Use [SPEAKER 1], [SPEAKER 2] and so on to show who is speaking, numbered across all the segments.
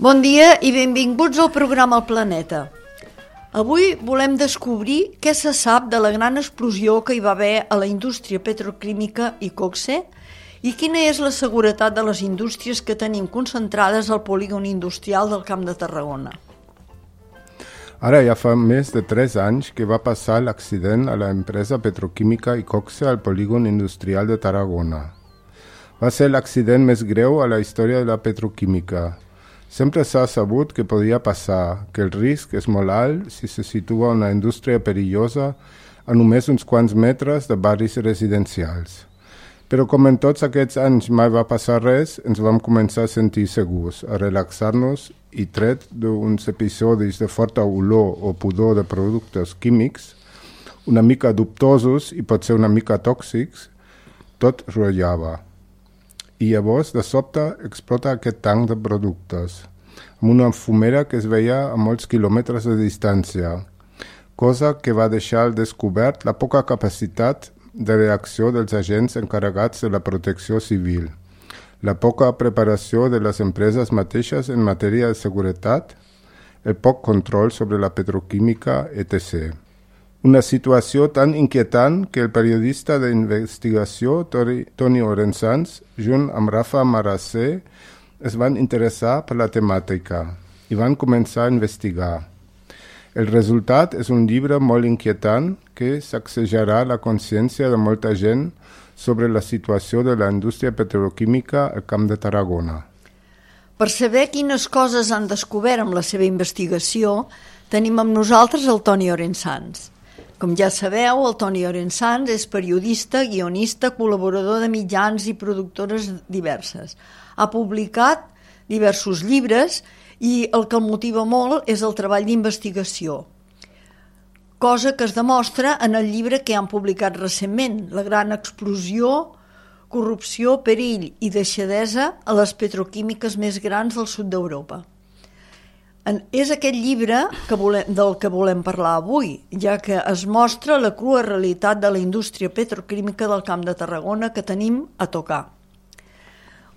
[SPEAKER 1] Bon dia i benvinguts al programa El Planeta. Avui volem descobrir què se sap de la gran explosió que hi va haver a la indústria petroquímica Iqoxe i quina és la seguretat de les indústries que tenim concentrades al polígon industrial del Camp de Tarragona.
[SPEAKER 2] Ara ja fa més de 3 anys que va passar l'accident a l'empresa petroquímica Iqoxe al polígon industrial de Tarragona. Va ser l'accident més greu a la història de la petroquímica. Sempre s'ha sabut que podia passar, que el risc és molt alt si se situa una indústria perillosa a només uns quants metres de barris residencials. Però com en tots aquests anys mai va passar res, ens vam començar a sentir segurs, a relaxar-nos i tret d'uns episodis de forta olor o pudor de productes químics, una mica dubtosos i potser una mica tòxics, tot rotllava. I llavors, de sobte, explota aquest tanc de productes, amb una fumera que es veia a molts quilòmetres de distància, cosa que va deixar al descobert la poca capacitat de reacció dels agents encarregats de la protecció civil, la poca preparació de les empreses mateixes en matèria de seguretat, el poc control sobre la petroquímica, etc. Una situació tan inquietant que el periodista d'investigació Toni Orensans, junt amb Rafa Marassé, es van interessar per la temàtica i van començar a investigar. El resultat és un llibre molt inquietant que sacsejarà la consciència de molta gent sobre la situació de la indústria petroquímica al Camp de Tarragona.
[SPEAKER 1] Per saber quines coses han descobert amb la seva investigació, tenim amb nosaltres el Toni Orensans. Com ja sabeu, el Toni Orensans és periodista, guionista, col·laborador de mitjans i productores diverses. Ha publicat diversos llibres i el que el motiva molt és el treball d'investigació, cosa que es demostra en el llibre que han publicat recentment, La gran explosió, corrupció, perill i deixadesa a les petroquímiques més grans del sud d'Europa. És aquest llibre del que volem parlar avui, ja que es mostra la crua realitat de la indústria petroquímica del Camp de Tarragona que tenim a tocar.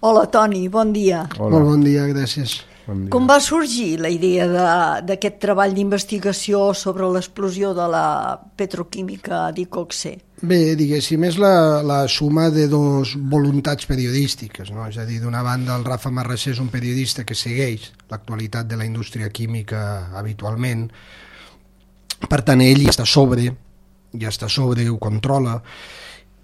[SPEAKER 1] Hola, Toni, bon dia.
[SPEAKER 3] Hola. Molt bon dia, gràcies.
[SPEAKER 2] Bon dia.
[SPEAKER 1] Com va sorgir la idea d'aquest treball d'investigació sobre l'explosió de la petroquímica d'Iqoxe?
[SPEAKER 3] Bé, diguéssim, és la suma de dos voluntats periodístiques, no? És a dir, d'una banda, el Rafa Marassé és un periodista que segueix l'actualitat de la indústria química habitualment, per tant, ell ja està sobre, ho controla,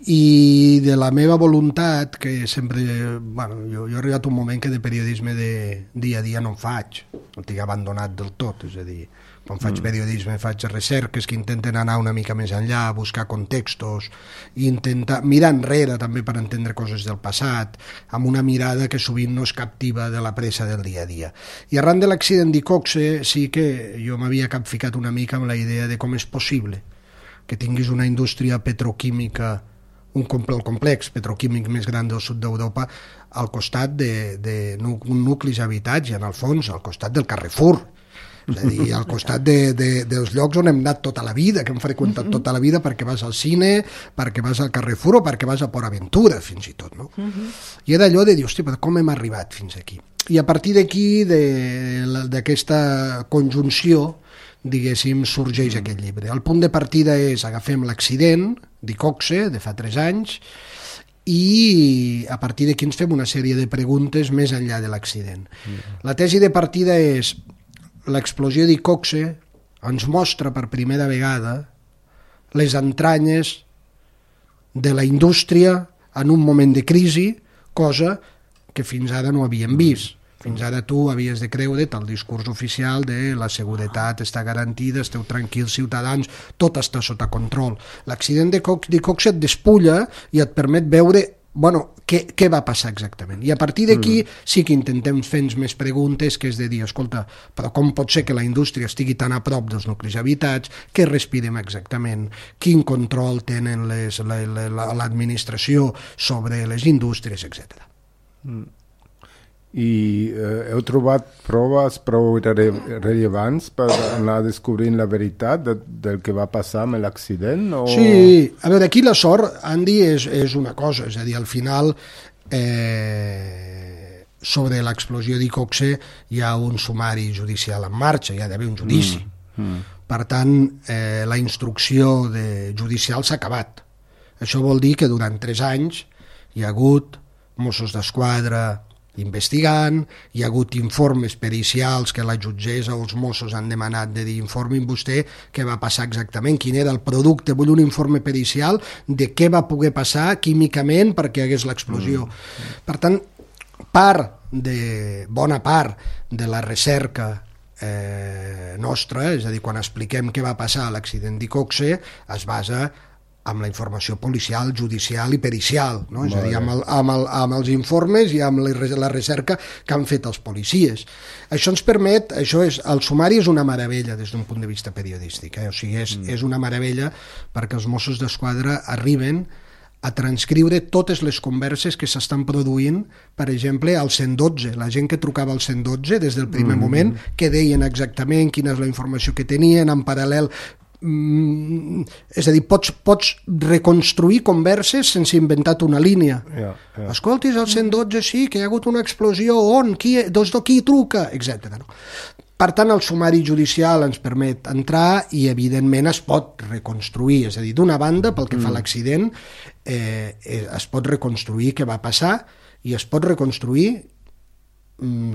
[SPEAKER 3] i de la meva voluntat, que sempre... Bueno, jo he arribat a un moment que de periodisme de dia a dia no en faig, no tinc abandonat del tot, és a dir, quan faig periodisme faig recerques que intenten anar una mica més enllà, buscar contextos, i intentar mirar enrere també per entendre coses del passat, amb una mirada que sovint no és captiva de la pressa del dia a dia. I arran de l'accident d'Iqoxe sí que jo m'havia capficat una mica amb la idea de com és possible que tinguis una indústria petroquímica, el complex petroquímic més gran del sud d'Europa, al costat de nuclis habitats i en el fons al costat del Carrefour, és a dir, al costat dels llocs on hem anat tota la vida, que hem freqüentat tota la vida perquè vas al cine, perquè vas al Carrefour o perquè vas a Port Aventura, fins i tot, no? I era allò de dir, hòstia, però com hem arribat fins aquí? I a partir d'aquí, d'aquesta conjunció, diguéssim, sorgeix aquest llibre. El punt de partida és, agafem l'accident d'Iqoxe de fa 3 anys i a partir d'aquí ens fem una sèrie de preguntes més enllà de l'accident. La tesi de partida és l'explosió d'Iqoxe ens mostra per primera vegada les entranyes de la indústria en un moment de crisi, cosa que fins ara no havíem vist. Fins ara tu havies de creure't el discurs oficial de la seguretat està garantida, esteu tranquils ciutadans, tot està sota control. L'accident d'Iqoxe et despulla i et permet veure què va passar exactament. I a partir d'aquí sí que intentem fer-nos més preguntes, que és de dir, escolta, però com pot ser que la indústria estigui tan a prop dels nuclis habitats, què respirem exactament, quin control tenen l'administració sobre les indústries, etc.
[SPEAKER 2] I heu trobat proves prou rellevants per anar descobrint la veritat del que va passar amb l'accident? O...
[SPEAKER 3] Sí, a veure, aquí la sort, Andy, és una cosa, és a dir, al final sobre l'explosió d'Icoxe hi ha un sumari judicial en marxa, hi ha d'haver un judici. Per tant, la instrucció judicial s'ha acabat. Això vol dir que durant 3 anys hi ha hagut Mossos d'Esquadra investigant, hi ha hagut informes pericials que la jutgessa o els Mossos han demanat de dir informin vostè què va passar exactament, quin era el producte, vull un informe pericial de què va poder passar químicament perquè hi hagués l'explosió. Per tant, bona part de la recerca nostra, és a dir, quan expliquem què va passar a l'accident d'Icoxe, es basa amb la informació policial, judicial i pericial, no? És a dir, amb els informes i amb la recerca que han fet els policies. Això ens permet, el sumari és una meravella des d'un punt de vista periodístic, o sigui, és una meravella perquè els Mossos d'Esquadra arriben a transcriure totes les converses que s'estan produint, per exemple, al 112, la gent que trucava al 112 des del primer moment, que deien exactament quina és la informació que tenien, en paral·lel. És a dir, pots reconstruir converses sense inventar una línia. Escoltis, al 112 sí, que hi ha hagut una explosió, on? Des d'aquí truca, etc. Per tant, el sumari judicial ens permet entrar i, evidentment, es pot reconstruir. És a dir, d'una banda, pel que fa a l'accident, es pot reconstruir què va passar i es pot reconstruir,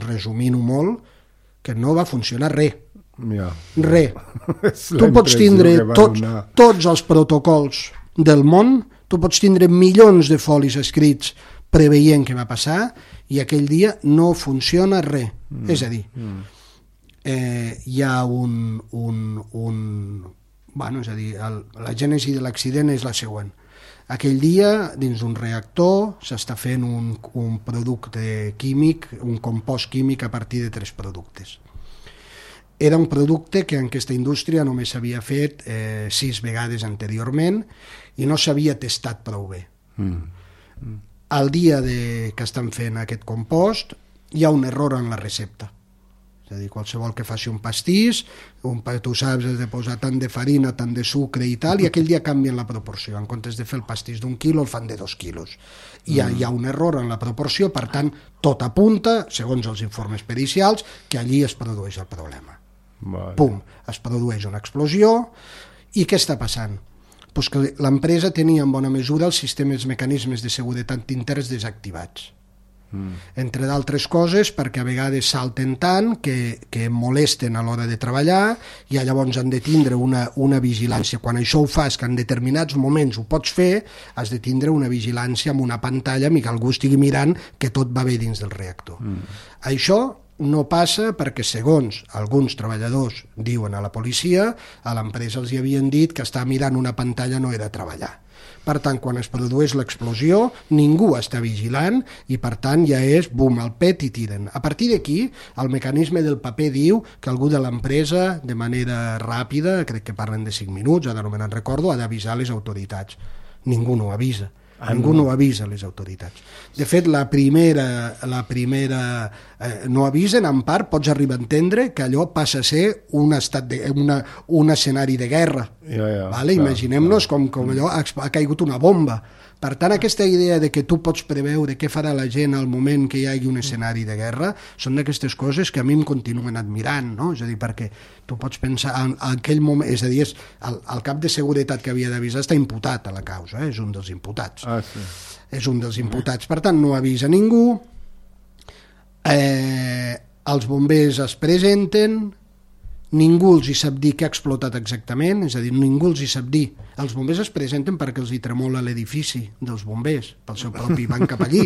[SPEAKER 3] resumint-ho molt, que no va funcionar res. Tu pots tindre tots els protocols del món, tu pots tindre milions de folis escrits preveient què va passar i aquell dia no funciona res. És a dir, hi ha és a dir, la gènesi de l'accident és la següent. Aquell dia, dins d'un reactor, s'està fent un producte químic, un compost químic a partir de 3 productes. Era un producte que en aquesta indústria només s'havia fet 6 vegades anteriorment i no s'havia testat prou bé. El dia que estan fent aquest compost hi ha un error en la recepta. És a dir, qualsevol que faci un pastís, tu saps, has de posar tant de farina, tant de sucre i tal, i aquell dia canvien la proporció. En comptes de fer el pastís d'1 quilo, el fan de 2 quilos. Hi ha un error en la proporció, per tant, tot apunta, segons els informes pericials, que allí es produeix el problema. Pum, es produeix una explosió i què està passant? Pues que l'empresa tenia en bona mesura els mecanismes de seguretat interns desactivats. Entre d'altres coses perquè a vegades salten tant que molesten a l'hora de treballar i llavors han de tindre una vigilància. Quan això ho fas, que en determinats moments ho pots fer, has de tindre una vigilància amb una pantalla i que algú estigui mirant que tot va bé dins del reactor. Això no passa perquè, segons alguns treballadors diuen a la policia, a l'empresa els hi havien dit que estar mirant una pantalla no era treballar. Per tant, quan es produeix l'explosió, ningú està vigilant i, per tant, ja és, bum, al pet i tiren. A partir d'aquí, el mecanisme del paper diu que algú de l'empresa, de manera ràpida, crec que parlen de 5 minuts, ara no me'n recordo, ha d'avisar les autoritats. Ningú no avisa. Ningú no avisa les autoritats. De fet, la primera no avisen, en part pots arribar a entendre que allò passa a ser un escenari de guerra. Imaginem-nos com allò ha caigut una bomba. Per tant, aquesta idea de que tu pots preveure què farà la gent al moment que hi hagi un escenari de guerra són d'aquestes coses que a mi em continuen admirant, no? És a dir, perquè tu pots pensar en aquell moment, és a dir, el cap de seguretat que havia d'avisar està imputat a la causa, és un dels imputats. És un dels imputats, per tant no avisa ningú, els bombers es presenten, ningú els hi sap dir què ha explotat exactament, és a dir, ningú els hi sap dir. Els bombers es presenten perquè els hi tremola l'edifici dels bombers, pel seu propi van cap allí.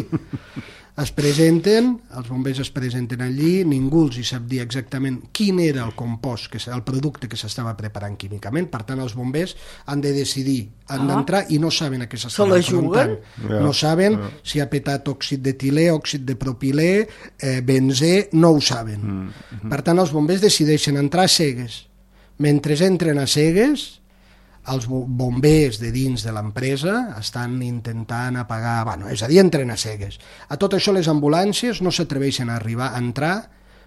[SPEAKER 3] Els bombers es presenten allí, ningú els hi sap dir exactament quin era el compost, el producte que s'estava preparant químicament, per tant els bombers han de decidir, han d'entrar i no saben a què s'estan enfrontant. No saben si ha petat òxid d'etilè, òxid de propilè, benzè, no ho saben. Per tant els bombers decideixen entrar a cegues. Mentre entren a cegues, els bombers de dins de l'empresa estan intentant apagar, és a dir, entren a cegues. A tot això les ambulàncies no s'atreveixen a arribar a entrar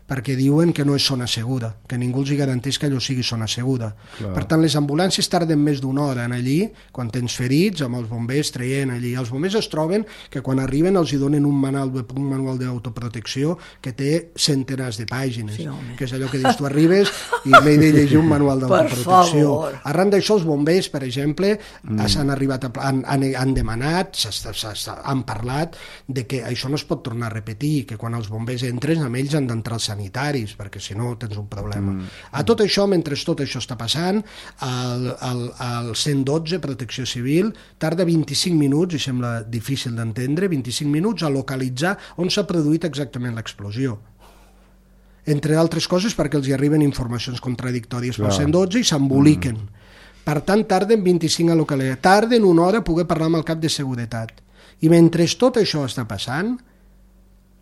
[SPEAKER 3] perquè diuen que no és zona segura, que ningú els garanteix que allò sigui zona segura. Clar. Per tant, les ambulàncies tarden més d'una hora en allí, quan tens ferits, amb els bombers traient allí. Els bombers es troben que quan arriben els hi donen un manual d'autoprotecció que té centenars de pàgines, sí, que és allò que dius, tu arribes i m'he de llegir un manual d'autoprotecció. Arran d'això, els bombers, per exemple, han demanat, han parlat de que això no es pot tornar a repetir, que quan els bombers entren, amb ells han d'entrar els sanitaris, perquè si no tens un problema. A tot això, mentre tot això està passant, el 112, Protecció Civil, tarda 25 minuts, i sembla difícil d'entendre, 25 minuts a localitzar on s'ha produït exactament l'explosió. Entre altres coses perquè els hi arriben informacions contradictòries pel 112 i s'emboliquen. Per tant, tarden 25 a localitzar. Tarden una hora a poder parlar amb el cap de seguretat. I mentre tot això està passant,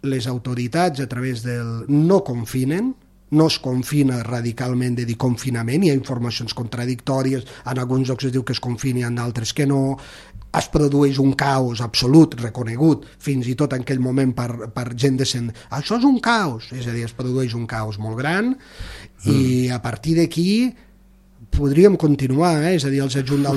[SPEAKER 3] les autoritats a través del no confinen, no es confina radicalment de dir confinament, hi ha informacions contradictòries, en alguns llocs es diu que es confini, en d'altres que no, es produeix un caos absolut, reconegut, fins i tot en aquell moment per gent decent. Això és un caos, és a dir, es produeix un caos molt gran, i a partir d'aquí podríem continuar, és a dir, els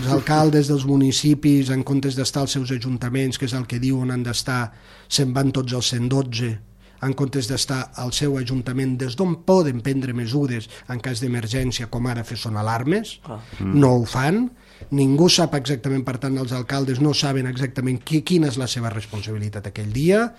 [SPEAKER 3] alcaldes dels municipis, en comptes d'estar als seus ajuntaments, que és el que diuen han d'estar, se'n van tots als 112, en comptes d'estar al seu ajuntament, des d'on poden prendre mesures en cas d'emergència, com ara fer sonar alarmes, no ho fan, ningú sap exactament, per tant, els alcaldes no saben exactament quina és la seva responsabilitat aquell dia.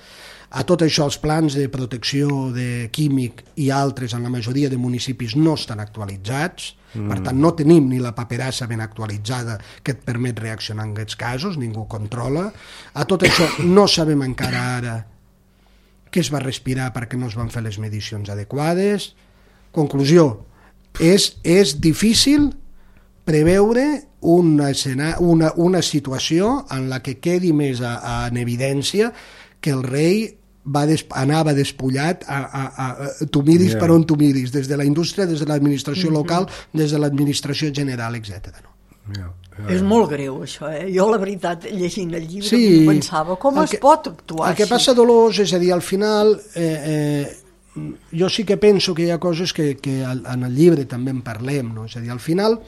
[SPEAKER 3] A tot això, els plans de protecció de químic i altres en la majoria de municipis no estan actualitzats, per tant no tenim ni la paperassa ben actualitzada que et permet reaccionar en aquests casos, ningú controla. A tot això no sabem encara ara què es va respirar perquè no es van fer les medicions adequades. Conclusió, és difícil preveure una situació en la que quedi més en evidència que el rei anava despullat tu miris per on tu miris, des de la indústria, des de l'administració local, des de l'administració general, etc.
[SPEAKER 1] És molt greu això, Jo la veritat, llegint el llibre, pensava com es pot actuar
[SPEAKER 3] així. El que passa, Dolors, és a dir, al final jo sí que penso que hi ha coses que en el llibre també en parlem, no? És a dir, al final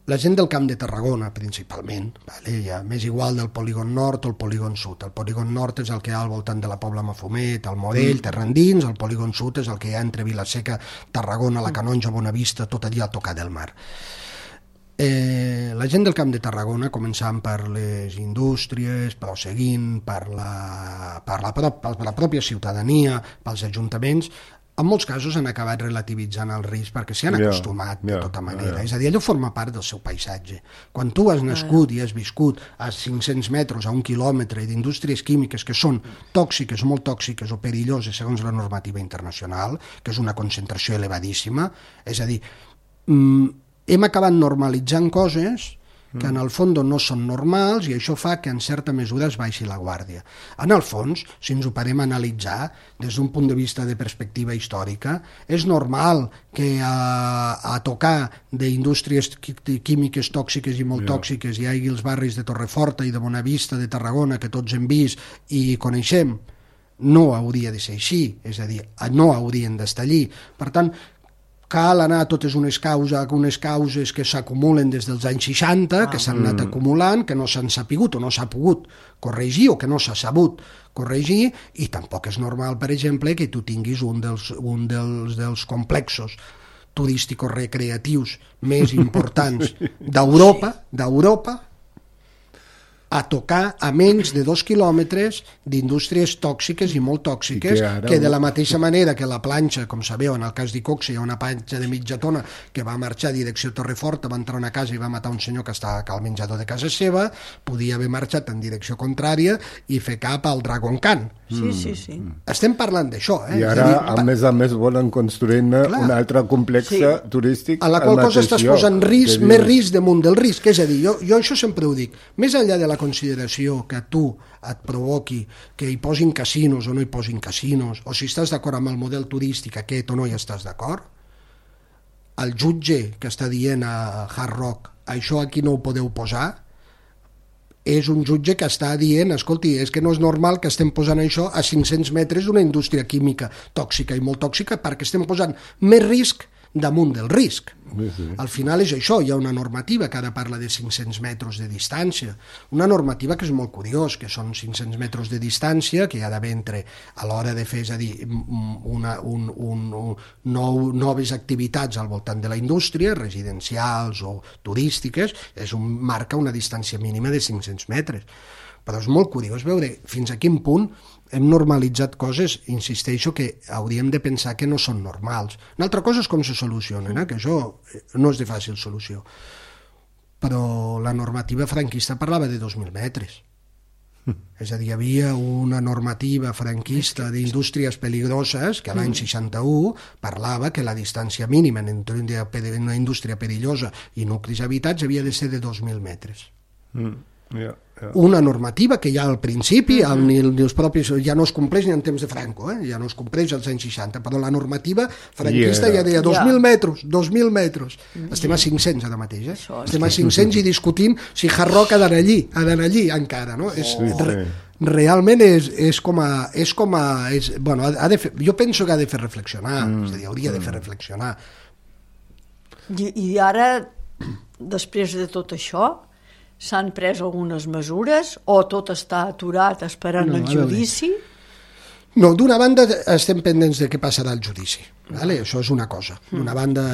[SPEAKER 3] la gent del Camp de Tarragona, principalment, m'és igual del polígon nord o el polígon sud. El polígon nord és el que hi ha al voltant de la Pobla Mafumet, el Morell, Terra Endins, el polígon sud és el que hi ha entre Vilaseca, Tarragona, la Canonja, Bonavista, tot allà a tocar del mar. La gent del Camp de Tarragona, començant per les indústries, però seguint per la pròpia ciutadania, pels ajuntaments, en molts casos han acabat relativitzant el risc perquè s'hi han acostumat de tota manera. És a dir, allò forma part del seu paisatge. Quan tu has nascut i has viscut a 500 metres, a 1 quilòmetre d'indústries químiques que són tòxiques, molt tòxiques o perilloses segons la normativa internacional, que és una concentració elevadíssima, és a dir, hem acabat normalitzant coses que en el fons no són normals i això fa que en certa mesura es baixi la guàrdia. En el fons, si ens ho parem a analitzar des d'un punt de vista de perspectiva històrica, és normal que a tocar d'indústries químiques tòxiques i molt tòxiques hi hagi els barris de Torreforta i de Bonavista, de Tarragona, que tots hem vist i coneixem. No hauria de ser així, és a dir, no haurien d'estar allí. Per tant, cal anar a totes unes causes que s'acumulen des dels anys 60, que s'han anat acumulant, que no s'han sapigut o no s'ha pogut corregir o que no s'ha sabut corregir, i tampoc és normal, per exemple, que tu tinguis un dels complexos turístics recreatius més importants d'Europa a tocar a menys de 2 quilòmetres d'indústries tòxiques i molt tòxiques, que de la mateixa manera que la planxa, com sabeu, en el cas d'Icoxe hi ha una planxa de mitja tona que va marxar a direcció Torreforta, va entrar a una casa i va matar un senyor que estava al menjador de casa seva, podia haver marxat en direcció contrària i fer cap al Dragon Khan.
[SPEAKER 1] Sí.
[SPEAKER 3] Estem parlant d'això.
[SPEAKER 2] I ara, a més volen construir un altre complex turístic.
[SPEAKER 3] A la qual cosa estàs posant més risc damunt del risc. És a dir, jo això sempre ho dic. Més enllà de la consideració que a tu et provoqui que hi posin casinos o no hi posin casinos, o si estàs d'acord amb el model turístic aquest o no hi estàs d'acord, el jutge que està dient a Hard Rock això aquí no ho podeu posar, és un jutge que està dient, escolti, és que no és normal que estem posant això a 500 metres d'una indústria química tòxica i molt tòxica perquè estem posant més risc damunt del risc.
[SPEAKER 2] Sí.
[SPEAKER 3] Al final és això, hi ha una normativa que ara parla de 500 metres de distància, una normativa que és molt curiós, que són 500 metres de distància que hi ha d'haver entre, a l'hora de fer, és a dir, noves activitats al voltant de la indústria, residencials o turístiques, marca una distància mínima de 500 metres. Però és molt curiós veure fins a quin punt hem normalitzat coses, insisteixo, que hauríem de pensar que no són normals. Una altra cosa és com se solucionen, que això no és de fàcil solució. Però la normativa franquista parlava de 2.000 metres. És a dir, hi havia una normativa franquista d'indústries peligroses que l'any 61 parlava que la distància mínima entre una indústria perillosa i nuclis habitats havia de ser de 2.000 metres. Una normativa que ja al principi els propis, ja no es compleix ni en temps de Franco, ja no es compleix als anys 60, però la normativa franquista ja deia 2.000 metres, 2.000 metres. Estem a 500 ara mateix, estem a 500 i discutint si Hard Rock ha d'anar allí encara, no? Realment és com a bueno, jo penso que ha de fer reflexionar, és a dir, hauria de fer reflexionar.
[SPEAKER 1] I ara, després de tot això, s'han pres algunes mesures o tot està aturat esperant el judici?
[SPEAKER 3] No, d'una banda estem pendents de què passarà al judici. Vale? Això és una cosa. D'una banda,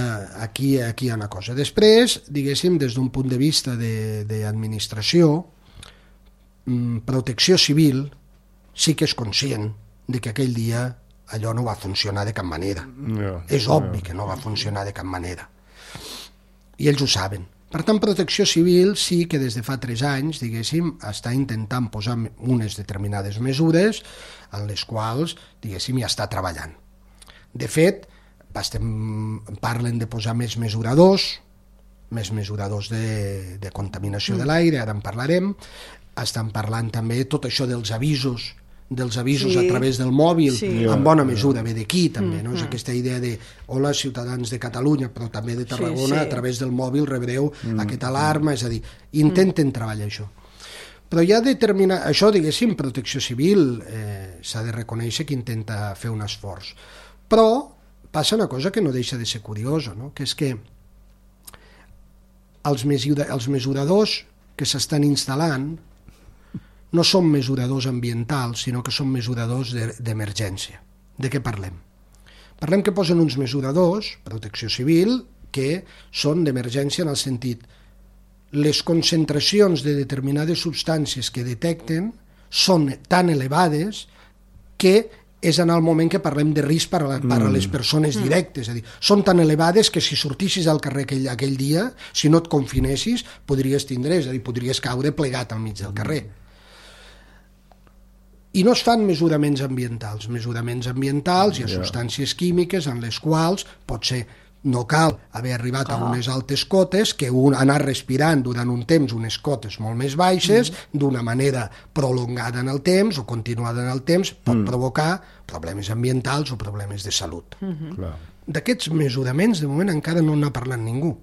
[SPEAKER 3] aquí hi ha una cosa. Després, diguéssim, des d'un punt de vista d'administració, Protecció Civil sí que és conscient de que aquell dia allò no va funcionar de cap manera. És obvi que no va funcionar de cap manera. I ells ho saben. Per tant, Protecció Civil sí que des de fa 3 anys, diguéssim, està intentant posar unes determinades mesures en les quals, diguéssim, ja està treballant. De fet, parlen de posar més mesuradors de contaminació de l'aire, ara en parlarem, estan parlant també tot això dels avisos a través del mòbil, en bona mesura ve d'aquí també, no? És aquesta idea de hola ciutadans de Catalunya, però també de Tarragona, a través del mòbil rebreu aquesta alarma, és a dir, intenten treballar això. Però ja determinar, això diguéssim, Protecció Civil s'ha de reconèixer que intenta fer un esforç. Però passa una cosa que no deixa de ser curiosa, no? Que és que els mesuradors que s'estan instal·lant no són mesuradors ambientals, sinó que són mesuradors d'emergència. De què parlem? Parlem que posen uns mesuradors, Protecció Civil, que són d'emergència en el sentit les concentracions de determinades substàncies que detecten són tan elevades que és en el moment que parlem de risc per a les persones directes. És a dir, són tan elevades que si sortissis al carrer aquell dia, si no et confinessis, podries tindre, és a dir, podries caure plegat al mig del carrer. I no es fan mesuraments ambientals. Mesuraments ambientals hi ha substàncies químiques en les quals potser no cal haver arribat a unes altes cotes que anar respirant durant un temps unes cotes molt més baixes d'una manera prolongada en el temps o continuada en el temps pot provocar problemes ambientals o problemes de salut. D'aquests mesuraments de moment encara no n'ha parlat ningú.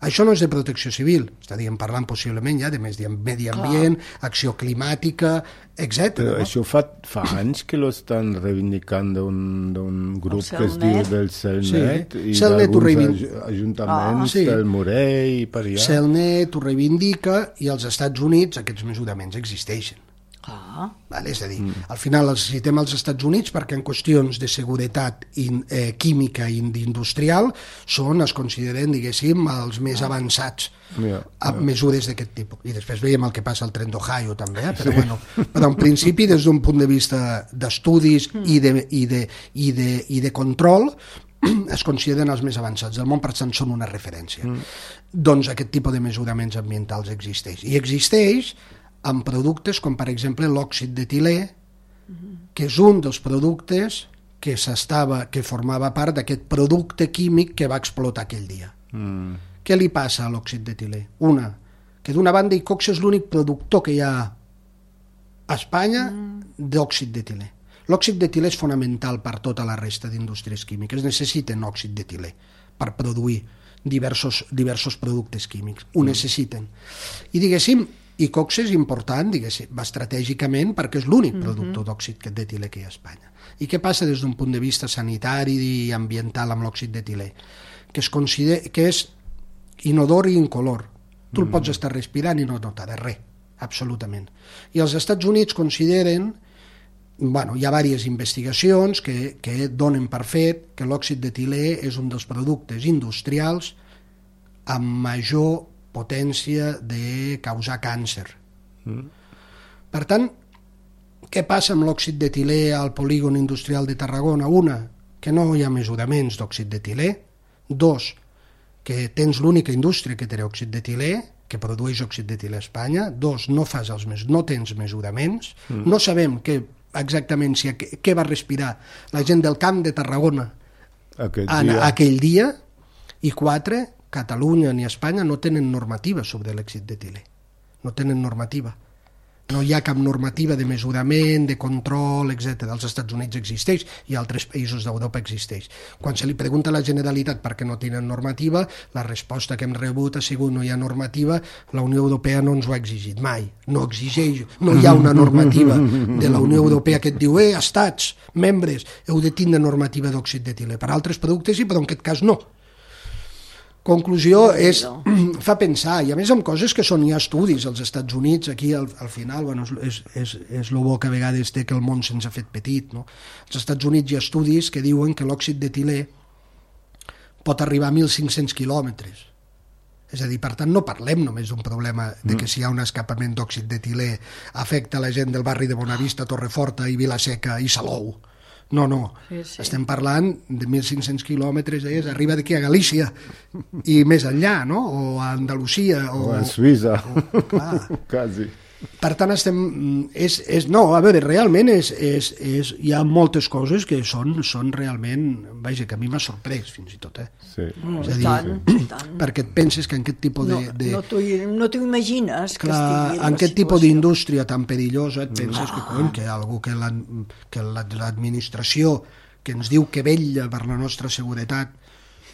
[SPEAKER 3] Això no és de Protecció Civil, estaríem parlant possiblement ja de medi ambient, acció climàtica, etc.
[SPEAKER 2] Però això fa anys que lo estan reivindicant d'un grup que es diu del CELNET i d'alguns ajuntaments del Morell i per allà.
[SPEAKER 3] CELNET ho reivindica i als Estats Units aquests mesuraments existeixen. És a dir, al final els citem als Estats Units perquè en qüestions de seguretat química i industrial es consideren, diguéssim, els més avançats amb mesures d'aquest tipus. I després veiem el que passa al tren d'Ohio també, però en principi des d'un punt de vista d'estudis i de control es consideren els més avançats del món, per tant són una referència. Doncs aquest tipus de mesuraments ambientals existeix. I existeix amb productes com, per exemple, l'òxid d'etilè, que és un dels productes que formava part d'aquest producte químic que va explotar aquell dia. Què li passa a l'òxid d'etilè? Que d'una banda Icox és l'únic productor que hi ha a Espanya d'òxid d'etilè. L'òxid d'etilè és fonamental per tota la resta d'indústries químiques. Necessiten òxid d'etilè per produir diversos productes químics. Ho necessiten. I, diguéssim, I Coxe és important, diguéssim, estratègicament, perquè és l'únic productor d'òxid d'etilè que hi ha a Espanya. I què passa des d'un punt de vista sanitari i ambiental amb l'òxid d'etilè? Que és inodor i incolor. Tu el pots estar respirant i no notaràs res, absolutament. I els Estats Units consideren, bueno, hi ha diverses investigacions que donen per fet que l'òxid d'etilè és un dels productes industrials amb major potència de causar càncer. Per tant, què passa amb l'òxid d'etilè al polígon industrial de Tarragona? Una, que no hi ha mesuraments d'òxid d'etilè. Dos, que tens l'única indústria que té òxid d'etilè, que produeix òxid d'etilè a Espanya. Dos, no tens mesuraments. No sabem exactament què va respirar la gent del Camp de Tarragona aquell dia. I quatre, Catalunya ni Espanya no tenen normativa sobre l'òxid d'etilè. No tenen normativa. No hi ha cap normativa de mesurament, de control, etc. Als Estats Units existeix i a altres països d'Europa existeix. Quan se li pregunta a la Generalitat per què no tenen normativa, la resposta que hem rebut ha sigut no hi ha normativa, la Unió Europea no ens ho ha exigit mai. No exigeix, no hi ha una normativa de la Unió Europea que et diu estats, membres, heu de tindre normativa d'òxid d'etilè. Per altres productes sí, però en aquest cas no. Conclusió fa pensar, i a més amb coses que hi ha estudis als Estats Units, aquí al final, bueno, és el bo que a vegades té que el món se'ns ha fet petit, no? Als Estats Units hi ha estudis que diuen que l'òxid d'etilè pot arribar a 1.500 quilòmetres. És a dir, per tant, no parlem només d'un problema de que si hi ha un escapament d'òxid d'etilè afecta la gent del barri de Bonavista, Torreforta i Vilaseca i Salou. No. Sí. Estem parlant de 1.500 quilòmetres, arriba d'aquí a Galícia i més enllà, no? O a Andalusia.
[SPEAKER 2] O a Suïssa. Quasi.
[SPEAKER 3] Per tant, realment hi ha moltes coses que són realment, vaja, que a mi m'ha sorprès fins i tot,
[SPEAKER 2] Sí.
[SPEAKER 3] És a dir, tant. Perquè et penses que en aquest tipus de...
[SPEAKER 1] No t'ho imagines que
[SPEAKER 3] estigui en aquest tipus d'indústria tan perillosa, et penses que algú que l'administració que ens diu que vetlla per la nostra seguretat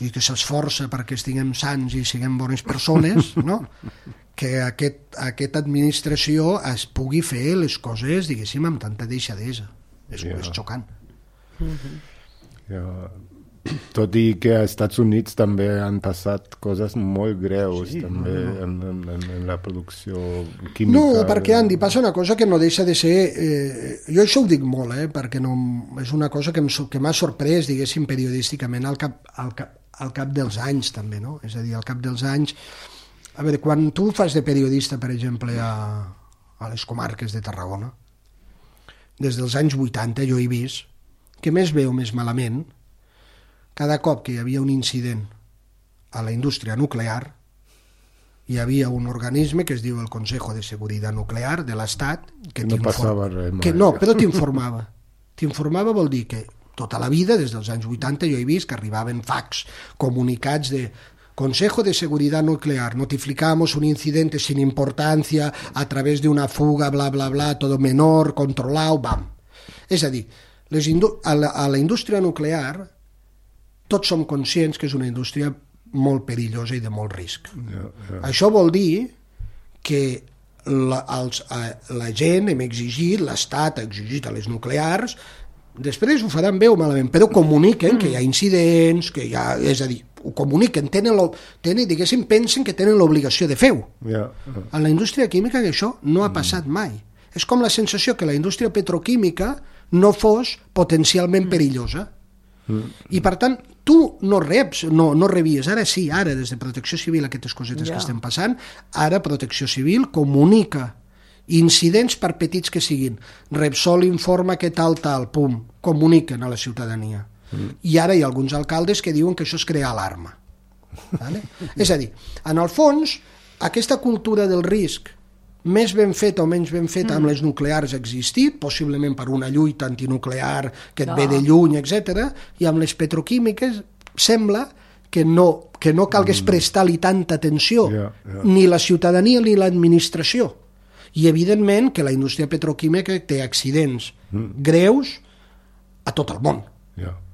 [SPEAKER 3] i que s'esforça perquè estiguem sans i siguem bones persones, no? Que aquesta administració es pugui fer les coses, diguéssim, amb tanta deixadesa. És xocant.
[SPEAKER 2] Tot i que als Estats Units també han passat coses molt greus també en la producció química.
[SPEAKER 3] No, perquè, Andy, passa una cosa que no deixa de ser... jo això ho dic molt, perquè és una cosa que m'ha sorprès, diguéssim, periodísticament al cap dels anys, també, no? És a dir, al cap dels anys... A veure, quan tu fas de periodista, per exemple, a les comarques de Tarragona, des dels anys 80 jo he vist que més bé o més malament, cada cop que hi havia un incident a la indústria nuclear, hi havia un organisme que es diu el Consejo de Seguridad Nuclear de l'Estat, que
[SPEAKER 2] no passava res mai.
[SPEAKER 3] No, però t'informava. T'informava vol dir que tota la vida, des dels anys 80, jo he vist que arribaven fax, comunicats de Consejo de Seguridad Nuclear, notificamos un incidente sin importancia a través de una fuga, bla, bla, bla, todo menor, controlado, bam. És a dir, a la indústria nuclear tots som conscients que és una indústria molt perillosa i de molt risc. Això vol dir que la gent hem exigit, l'Estat ha exigit a les nuclears, després ho faran bé o malament, però comuniquen que hi ha incidents, que hi ha, és a dir, ho comuniquen, diguéssim, pensen que tenen l'obligació de fer-ho. En la indústria química això no ha passat mai. És com la sensació que la indústria petroquímica no fos potencialment perillosa. I per tant, tu no rebies, ara sí, ara des de Protecció Civil aquestes cosetes que estem passant, ara Protecció Civil comunica incidents per petits que siguin. Repsol informa que tal, pum, comuniquen a la ciutadania. I ara hi ha alguns alcaldes que diuen que això és crear alarma. Vale? És a dir, en el fons, aquesta cultura del risc, més ben feta o menys ben feta amb les nuclears ha existit, possiblement per una lluita antinuclear que et ve de lluny, etc. I amb les petroquímiques sembla que no calgués prestar-li tanta atenció, ni la ciutadania ni l'administració. I evidentment que la indústria petroquímica té accidents greus a tot el món.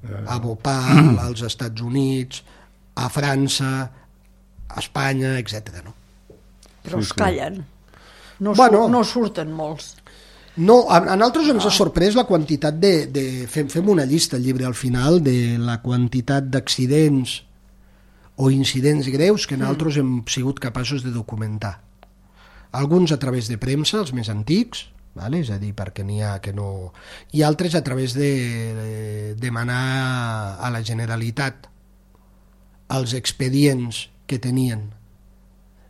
[SPEAKER 3] A Bhopal, als Estats Units, a França, a Espanya, etc. No?
[SPEAKER 1] Però es callen. No surten molts.
[SPEAKER 3] No, a nosaltres ens ha sorprès la quantitat fem una llista al llibre al final de la quantitat d'accidents o incidents greus que nosaltres hem sigut capaços de documentar. Alguns a través de premsa, els més antics, vale? És a dir, perquè n'hi ha que no... I altres a través de demanar a la Generalitat els expedients que tenien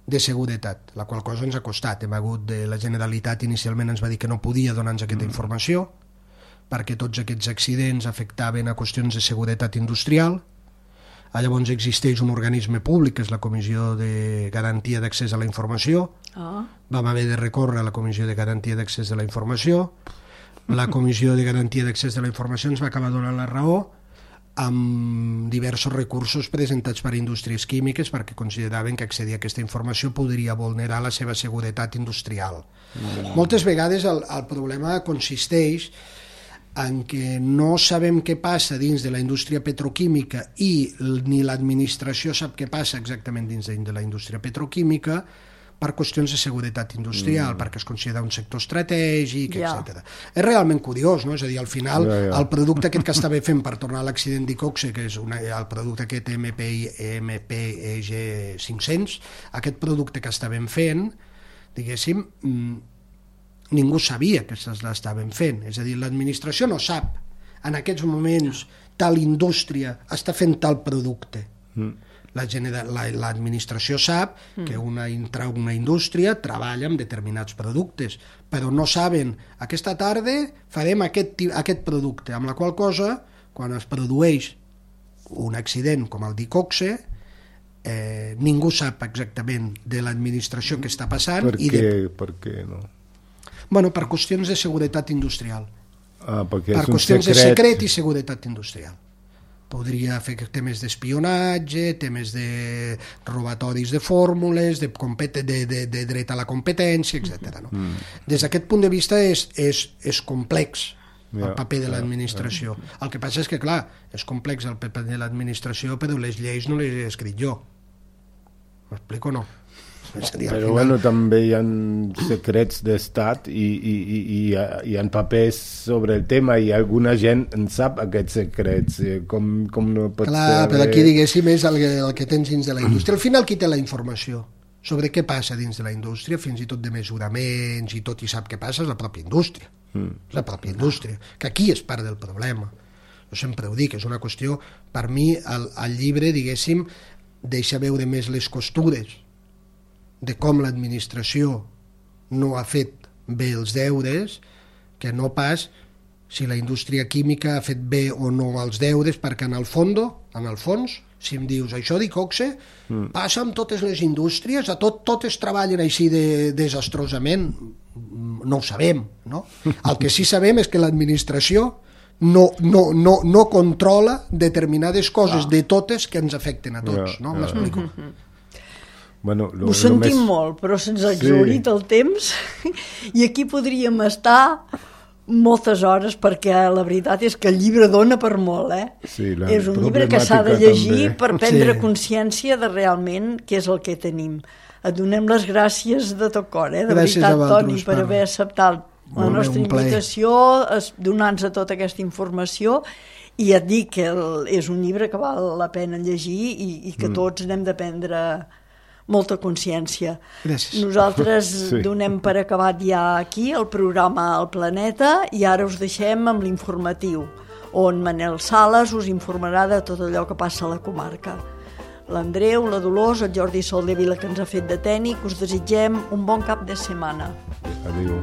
[SPEAKER 3] de seguretat, la qual cosa ens ha costat. Hem hagut la Generalitat inicialment ens va dir que no podia donar-nos aquesta informació perquè tots aquests accidents afectaven a qüestions de seguretat industrial. Llavors existeix un organisme públic, que és la Comissió de Garantia d'Accés a la Informació. Vam haver de recórrer a la Comissió de Garantia d'Accés a la Informació. La Comissió de Garantia d'Accés a la Informació ens va acabar donant la raó amb diversos recursos presentats per indústries químiques perquè consideraven que accedir a aquesta informació podria vulnerar la seva seguretat industrial. Moltes vegades el problema consisteix en què no sabem què passa dins de la indústria petroquímica i ni l'administració sap què passa exactament dins de la indústria petroquímica per qüestions de seguretat industrial, perquè es considera un sector estratègic, etc. És realment curiós, no? És a dir, al final, el producte aquest que estava fent per tornar a l'accident d'Icoxe, que és el producte aquest MPEG 500, aquest producte que estàvem fent, diguéssim, ningú sabia que l'estàvem fent. És a dir, l'administració no sap en aquests moments tal indústria està fent tal producte. L'administració sap que una indústria treballa amb determinats productes, però no saben, aquesta tarda farem aquest producte, amb la qual cosa, quan es produeix un accident com el d'Icoxe, ningú sap exactament de l'administració què està passant.
[SPEAKER 2] Per què no?
[SPEAKER 3] Bueno, per qüestions de seguretat industrial.
[SPEAKER 2] Per
[SPEAKER 3] qüestions de secret i seguretat industrial. Podria fer temes d'espionatge, temes de robatoris de fórmules, de dret a la competència, etc. No? Des d'aquest punt de vista és complex el paper de l'administració. El que passa és que, clar, és complex el paper de l'administració, però les lleis no les he escrit jo. M'explico o no?
[SPEAKER 2] Però bueno, també hi ha secrets d'estat i hi ha papers sobre el tema i alguna gent en sap aquests secrets, com no pot ser...
[SPEAKER 3] Clar, però aquí diguéssim és el que tens dins de la indústria. Al final qui té la informació sobre què passa dins de la indústria, fins i tot de mesuraments i tot i sap què passa, és la pròpia indústria. És la pròpia indústria, que aquí és part del problema. Jo sempre ho dic, és una qüestió, per mi el llibre, diguéssim, deixa veure més les costures de com l'administració no ha fet bé els deures, que no pas si la indústria química ha fet bé o no els deures, perquè en el fons, si em dius això d'Icoxe, passa amb totes les indústries, totes treballen així desastrosament, no ho sabem, no? El que sí sabem és que l'administració no controla determinades coses de totes que ens afecten a tots, no? M'explico?
[SPEAKER 2] Bueno,
[SPEAKER 1] ho sentim molt, però se'ns ha exhaurit el temps i aquí podríem estar moltes hores perquè la veritat és que el llibre dona per molt, és un llibre que s'ha de llegir per prendre consciència de realment què és el que tenim. Et donem les gràcies de tot cor, de veritat, Toni, per haver acceptat la nostra invitació, donant-nos tota aquesta informació, i et dic que és un llibre que val la pena llegir i que tots n'hem de prendre molta consciència.
[SPEAKER 3] Gràcies.
[SPEAKER 1] Nosaltres donem per acabat ja aquí el programa El Planeta i ara us deixem amb l'informatiu, on Manel Sales us informarà de tot allò que passa a la comarca. L'Andreu, la Dolors, el Jordi Soldevila, que ens ha fet de tècnic, us desitgem un bon cap de setmana.
[SPEAKER 2] Adéu.